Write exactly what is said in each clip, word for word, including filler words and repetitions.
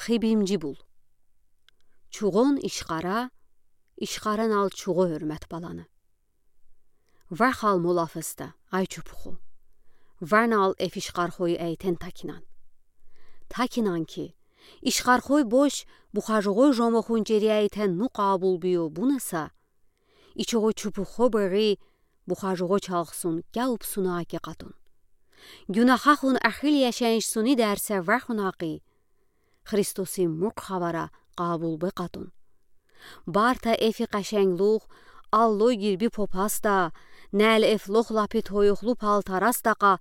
Хыбимжи бул. Чугъон ишкара, ишкара нал чугъо гьуьрмет баланы. Вархал мо лафысты, ай чупуху. Варнал эф ишкархой эйтен такинан. Такинан ки, ишкархой бош бухажугъой жомохун чери эйтен ну къабул бийо бунаса, ичугъу чупуху бери бухажугъо чалхсун кяупсуна аки къатун. Гюнахахун ахил яшеншсуни дерсе вархун акъи, Христоси муркъ хавара къабул бе къатун. Барта эфи къашенглух, аллой гирби попасда, нел эф лох лапи тойохлу палтарасдакъа,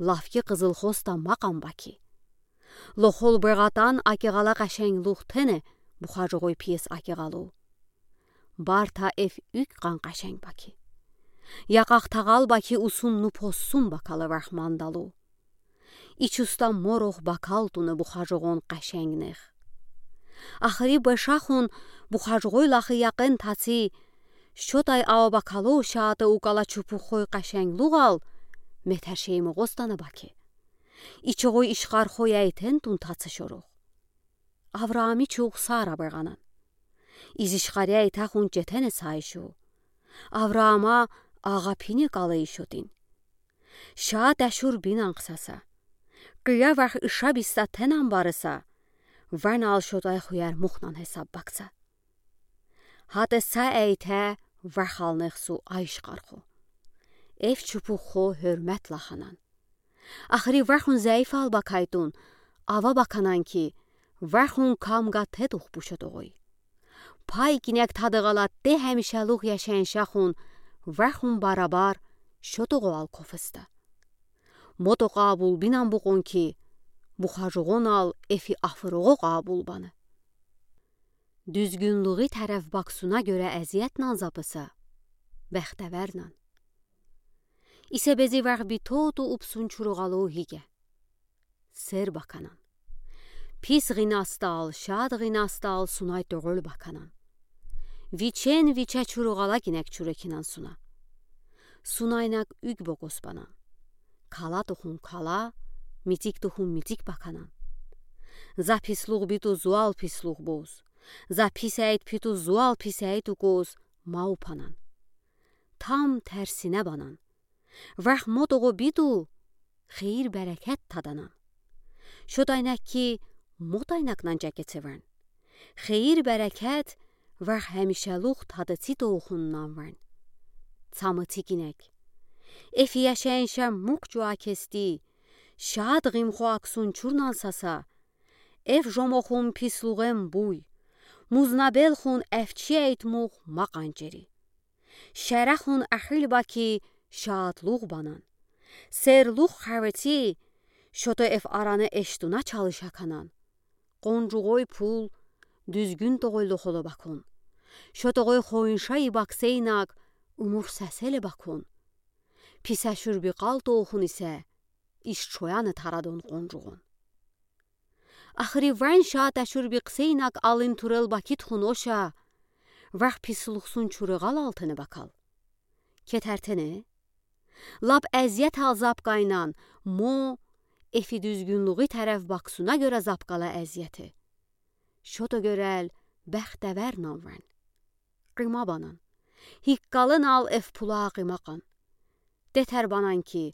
лафки къызыл хосда макъан баки. Лохол бегъатан аки гъала къашенглух тене бухажугъой пиес аки гъалу. Барта эф уьк къан къашенг баки. Якъах тагъал баки усун ну посун бакала варх мандалу. Ичуста морох бакал туна бухажугъон къашенгнех. Ахри бешахун бухажугъой лахи якъен таци, шотай ава бакало шата укала чупухой къашенглугъал, метер шеймугъостана баки. Ичугъой ишкархой эйтен тун таца шорох. Авраами чух Сара бегъанан. Из ишкаря эйтахун четене сайшу. Авраама агъа пине калай шотин. Ша ташур бинан хсаса. Къия варх иша биса тенан барыса. Ванал шотай хуяр мухнан хесаб бакца. Хатеса эйте вархалнехсу ай ишкархо. Эф чупухо гьуьрмет лаханан. Ахри вархун зайфал бакайтун, ава баканан ки, вархун камга тедух бу шотогъой. Пай кинек тадагъала те гьамишалух яшеншахун, вархун барабар шотогъо ал кофыста. Мото къабул бинан букъун ки, бухажугъонал эфи афырогъо къабул бана. Дуьзгюнлугъи тареф баксуна гёре эзиетнан запыса, бехтевернан. Исе бези варх би тоту упсун чуругъалу гиге. Сер баканан. Пис гъинастал, шад гъинастал сунай тёгъул баканан. Вичен виче чуругъала гинек чурекинан суна. Сунайнак уьг бокъус банан. Кала тухун кала, мицик тухун мицик баканан. За пислугъ биту зуал пислугъ буз. За писейт питу зуал писейт укуз ма упанан. Там терсине банан. Варх мотогъо биту, хейир-берекет таданан. Шотайнак ки мотайнакнан жакецеван. Хейир-берекет варх гьамишалух тадаци тоухуннан ван. Цамыци гинек. Эф яшенша мукъ жуа кести, шад гъимхо аксун чурнан саса, эф жомохун пислугъем буй, музнабелхун эфчи эйтмух макъан чери. Шарахун ахил баки шадлух банан. Серлух хавеци, шото эф арана эштуна чалыша канан. Къонжугъой пул дуьзгюн тогъойлу холо бакун. Шотогъой хойнша ибаксейнак умур саселе бакун. Писа шурби къал тоухун исе, иш чояна тарадун къонжугъун. Ахри ван шата шурби късейнак алын турел бакит хуноша, варх пислухсун чурагъал алтыны бакал. Кетертене? Лап эзиет ал запкайнан, мо эфи дуьзгюнлугъи тареф баксуна гёре запкала эзиети. Шото гёрел бехтевер нанван. Къыма банан. Гиккалын ал эф пула къыма къан. Детер банан ки,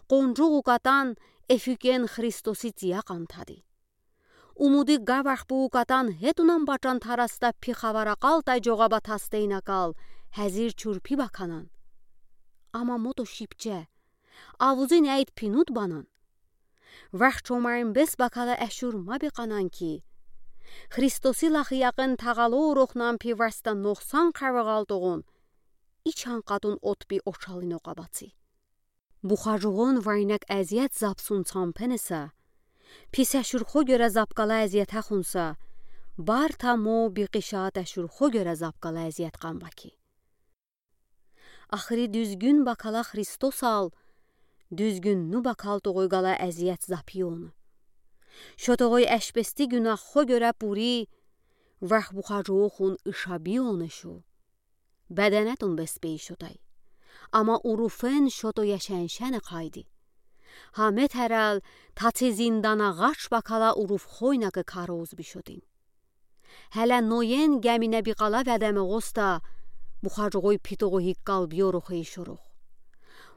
къонжугъ укатан эф уькен Христоси цияқан тади. Умуди гавах бу укатан гетунан бачан тараста пи хавара къалтай жогаба тастейнакал, гьазир чурпи баканан. Ама мото шипче, авузин айт пинут банан. Вах чомарин бес бакала эшур ма бекъанан ки, Христоси лахи якъин тагъалу урухнан пи васта нохсан хавагъал тогъун, ичан къатун отби ошалино къабаци. Бухажугъун вайнак эзият запсун цампенеса, пис эшурхо гёре запкала эзият ахунса, барта мо бикъишат эшурхо гёре запкала эзият къамбаки. Ахри дуьзгюн бакала Христосал, дуьзгюн ну бакал тогъуйгала эзият запиён. Шо тогъуй эшпести гюнаххо гёре пури, вах бухажуухун ишабиён эшу. Беденетун беспей шотай. Ама уруфен шото яшеншене къайди. Гьа метерел татци зиндан агъач бакала урув хойнакы кароз бишодин. Гьеле Ноен гемине биъ къала ведеме гъосда, бухаргъой питогъу гиккал бийорухы ишорох.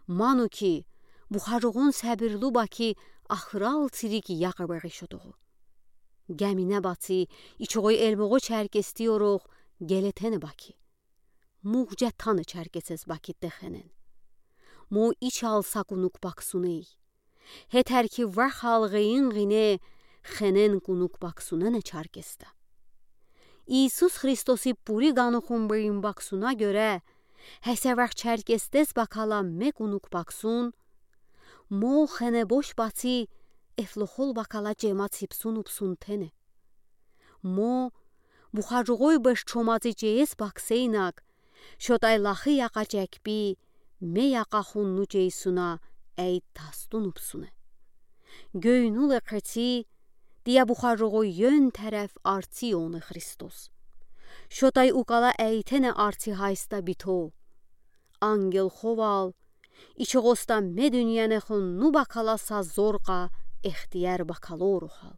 Ману ки, бухаргъон себирлу баки ахырал цирик яхъ бегъишодугъу. Гемине баци ичогъой элмогъо черкес тийорох гелетене баки. Мугъ жетана черкесез бакитте хенен. Мо ичал са кунук баксуней. Гьетер ки вахал гъейин гъине хенен кунук баксунене черкесда. Иисус Христоси пури ганухун бейин баксуна гёре, гьесевах черкесдез бакала ме кунук баксун, мо хене бош баци эфлохол бакала жема ципсун упсун тене. Мо бухаргъой беш чомази жеез баксейнак, шотай лахи якъа жекби, ме якъа хунну жейсуна эйд тастун упсуне. Гёйнул экъеци, тия бухаргъой ён тереф арци ёна Христос. Шотай укала эйтене арци гьайста бито. Ангел ховал, ичи гъосда ме дуьньяне хунну бакала са зоркъа эхтияр бакалорухал.